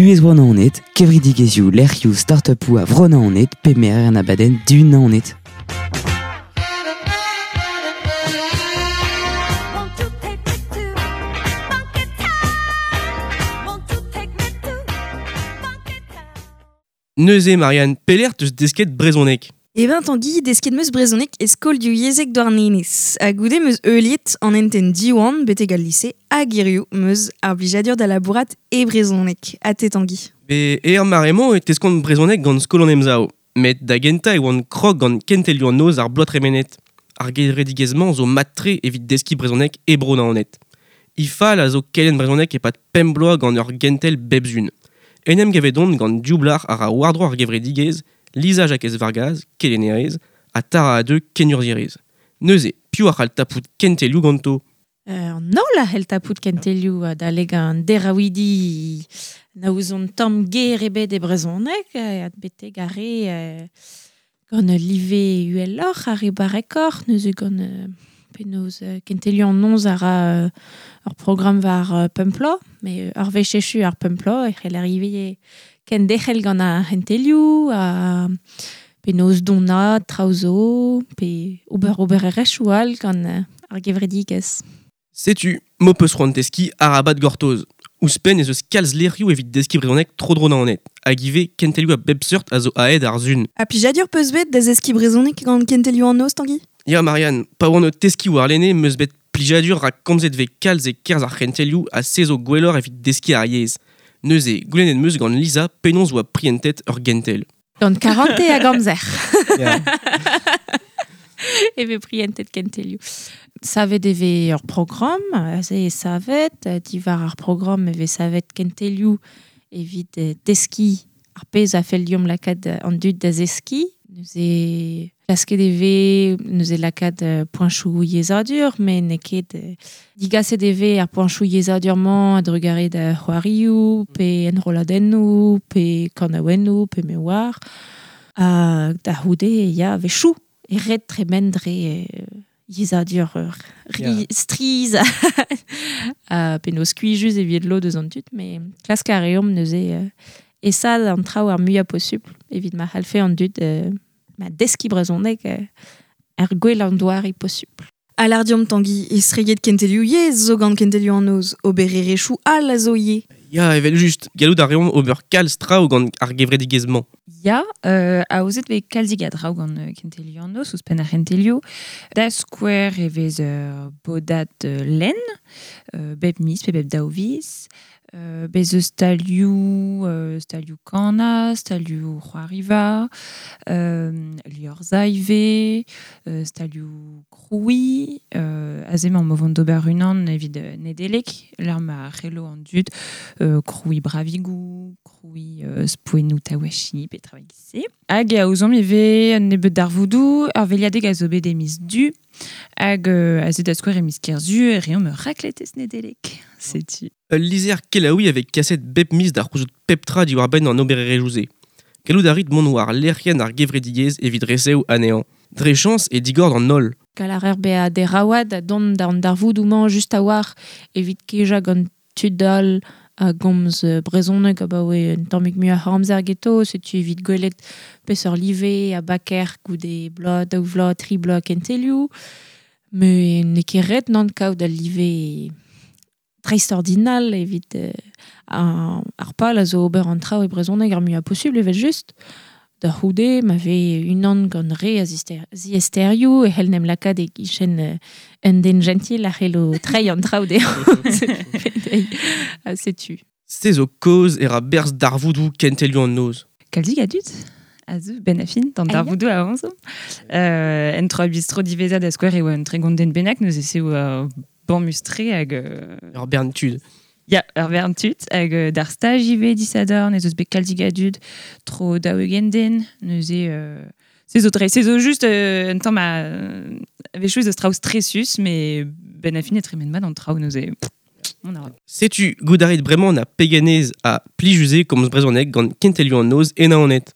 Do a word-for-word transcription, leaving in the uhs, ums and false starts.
Buhez Bro Naoned, kevredigezhioù lec'hioù start-upoù a Vro Naoned pe merer an abadenn du Naoned. Won't you take me to Funky Town? Won't you take me to Funky Town? Neuze Marianne, pelec'h teus desket brezhoneg. E ben Tanguy, desket meus brezhoneg e skol divyezhek Douarnenez. Ha goude meus heuliet an enten Diwan betek al lise hag hiziv meus ar blijadur da labourat e brezhoneg. Ha te Tanguy. Be er mare-mañ e teskont brezhoneg gant skol an Emsav. Met da gentañ e oan krog gant kentelioù an noz ar bloaz tremenet. Ar gevredigezh-mañ zo mat-tre evit deskiñ brezhoneg e Bro Naoned. He fal a zo kelenn brezhoneg e-pad pemp bloaz gant ur gentel bep sizhun. En em gavet on gant div blac'h a ra war-dro ar gevredigezh, Lisa Jakez Vargaz, kelennerez, ha Tara Adeux, kenurzhierez. Neuze, piv a c'hall tapout kentelioù ganto? Euh, an holl a c'hell tapout kentelioù adalek an deraouidi na ouzon tamm ger ebet e brezhoneg, euh, betek ar re euh, gant ul live uheloc'h, ar re barrekoc'h, neuze gant euh, penaos euh, kentelioù an noz a ra euh, ur programm war euh, pemp bloaz, met ur wech echu ar pemp bloaz e c'hell arrive kenderc'hel gant ar c'hentelioù, ha penaos donaat traoù zo, pe ober obererezhioù all gant euh, ar gevredigezh. Setu, m'ho peus c'hoant deskiñ arabat gortoz. Ouzhpenn ez eus kalz lec'hioù evit deskiñ brezhoneg tro-dro Naoned, hag ivez kentelioù a bep seurt a zo aet ar sun. Ha plijadur peus bet da zeskiñ brezhoneg gant kentelioù an noz, Tanguy? Ya Marianne, pa oan o teskiñ warlene meus bet plijadur rak komzet vez kalz e kerzh ar c'hentelioù ha se zo gwelloc'h evit deskiñ ar yezh. Neuze, goulennet meus gant Lisa penaos oa prientet ur gentel. Gant karante hag amzer. Ya. E vez prientet kentelioù. Savet e vez ur programm, aze e savet, diwar ar programm e vez savet kentelioù evit deskiñ ar pezh a fell deomp lakaat an dud da zeskiñ. Neuze klasket e vez, neuze lakaat poenchoù yezhadur, met n'eo ket digaset e vez ar poenchoù yezhadur-mañ a-drugarez da c'hoarioù, pe enrolladennoù, pe kanaouennoù, pe me oar. Ha da c'houde, ya, a-wechoù, e ret tremen dre yezhadur ri, Ya. strizh ha penaos skuizhus evit lod eus an dud, met klask a reomp neuze euh, aesaat an traoù ar muiañ posupl evit ma c'hallfe an dud euh, ma deskiñ brezhoneg euh, ar gwell an doare posupl. Ha lâr deomp Tanguy, estreget kentelioù yezh zo gant kentelioù an noz, obererezhioù all a zo ivez. Ya, evel just, gallout a reomp ober kalz traoù gant ar gevredigezh-mañ. Ya, euh, aozet vez kalzik a draoù gant euh, kentelioù an noz, ouzhpenn ar c'hentelioù. Da skouer e vez ur bodad euh, lenn, euh, bep miz pe bep daou viz. Euh, bez eus stalioù, euh, stalioù kana, stalioù c'hoariva, euh, liorzhañ ivez, euh, stalioù krouiñ, euh, aze emañ o vont d'ober unan evit Nedeleg, lec'h ma c'hello an dud, euh, krouiñ bravigoù, krouiñ euh, spouennoù tawachi, pe traoù e-giz-se. Hag aozomp ivez un nebeud darvoudoù, ar veliadeg a zo bet e miz Du, hag euh, aze da skouer e miz Kerzu, e reomp ur rakletez Nedeleg. Setu. Ul lizher kelaouiñ avec kaset bep miz d'ar c'houzout pep tra diwar-benn an obererezhioù-se. Gallout a rit mont war lec'hienn ar gevredigezh evit resev anezhañ. Dre chañs e digor d'an holl. Gall a reer bezañ deraouad ha dont d'an darvoudoù-mañ just a-walc'h evit kejañ gant tud all a gomz brezhoneg abaoe un tammig muioc'h a amzer ganto, setu evit gwelet peseurt live a baker goude bloaz, daou vloaz, tri bloaz kentelioù. Met n'eo ket ret nann kaout al live dreistordinal evit euh, ar, ar pal a zo ober an traoù e brezhoneg ar muiañ posubl evel just. Da c'houde, ma vez unan gant re a zister, ziaesterioù e c'hell n'em lakaat e kichen euh, un den gentil a c'hello treiñ an traoù dezhañ. Ha setu. Se zo kaoz e ra berzh darvoudoù kentelioù an noz. Kalzik a dud a zeu ben a fin, d'an Ah, ya. darvoudoù a zo. Euh, en troa bistro diwezhañ da skouer e oa un tregont den bennak, neuze se oa bamus-tre hag, euh, Ur bern tud. Ya, ur bern tud, hag euh, d'ar staj ivez disadorn, ez eus bet kalzik a dud, tro daou-ugent den, neuze, euh, se zo tre, se zo just euh, un tamm a, a-wechoù ez eus traoù stresus, mais ben a fin e tremen mat an traoù neuze. On a Setu, goût a rit bremañ na peganez ha plijus eo komz brezhoneg gant kentelioù an noz e Naoned.